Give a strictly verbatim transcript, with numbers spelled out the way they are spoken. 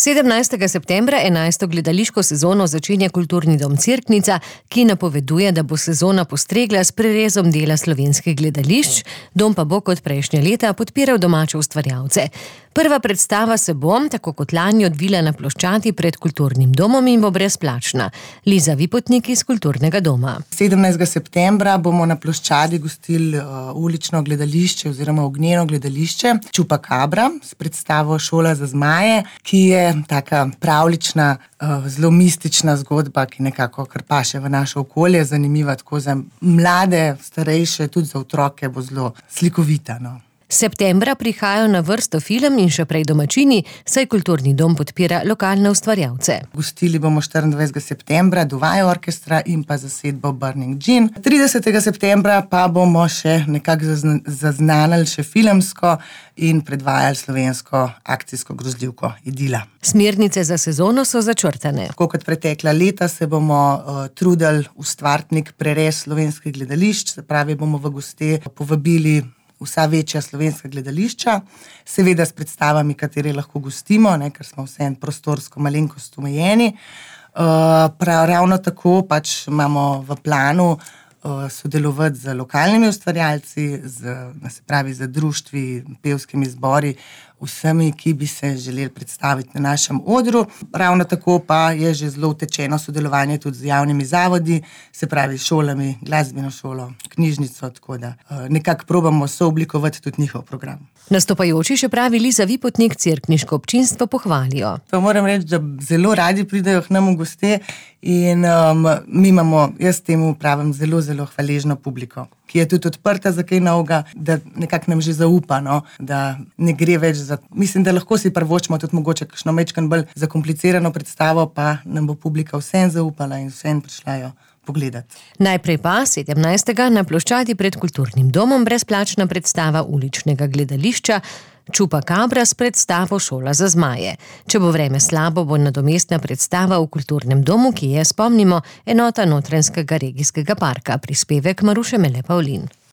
sedemnajstega septembra enajsto gledališko sezono začenja Kulturni dom Cerknica, ki napoveduje, da bo sezona postregla s prerezom dela slovenskih gledališč, dom pa bo kot prejšnja leta podpiral domače ustvarjalce. Prva predstava se bo, tako kot lani, odvila na ploščadi pred Kulturnim domom in bo brezplačna. Liza Vipotnik iz Kulturnega doma. sedemnajstega septembra bomo na ploščadi gostili uh, ulično gledališče oziroma ognjeno gledališče Čupakabra s predstavo Šola za zmaje, ki je taka pravlična, uh, zelo mistična zgodba, ki nekako kar paše v naše okolje, zanimiva tako za mlade, starejše, tudi za otroke bo zelo slikovita, no. Septembra prihajajo na vrsto film in še prej domačini, saj Kulturni dom podpira lokalne ustvarjalce. Gostili bomo štiriindvajsetega septembra Duvaj orkestra in pa zasedbo Burning Gin. tridesetega septembra pa bomo še nekako zaznanili še filmsko in predvajali slovensko akcijsko grozljivko Idila. Smernice za sezono so začrtane. Tako kot pretekla leta se bomo uh, trudili ustvariti nek prerez slovenskih gledališč, se pravi, bomo v goste povabili vsa večja slovenska gledališča, seveda s predstavami, katere lahko gostimo, ne, ker smo vseeno prostorsko malenkost omejeni. Uh, prav, ravno tako pač imamo v planu uh, sodelovati z lokalnimi ustvarjalci, z, se pravi, z društvi, pevskimi zbori, vsemi, ki bi se želeli predstaviti na našem odru. Ravno tako pa je že zelo utečeno sodelovanje tudi z javnimi zavodi, se pravi šolami, glasbeno šolo, knjižnico, tako da nekako probamo sooblikovati tudi njihov program. Nastopajoči, še pravi Liza Vipotnik, cerkniško občinstvo pohvalijo. Pa moram reči, da zelo radi pridejo k nam v goste in um, mi imamo, jaz temu pravim, zelo, zelo hvaležno publiko, ki je tudi odprta za kaj novega, da nekako nam že zaupa, no, da ne gre več za... Mislim, da lahko si privoščimo tudi mogoče kakšno majčkeno bolj zakomplicirano predstavo, pa nam bo publika vseeno zaupala in vseeno prišla jo pogledati. Najprej pa sedemnajstega na ploščadi pred Kulturnim domom brezplačna predstava uličnega gledališča Čupakabra s predstavo Šola za zmaje. Če bo vreme slabo, bo nadomestna predstava v Kulturnem domu, ki je, spomnimo, enota Notranjskega regijskega parka. Prispevek Maruše Mele Pavlin.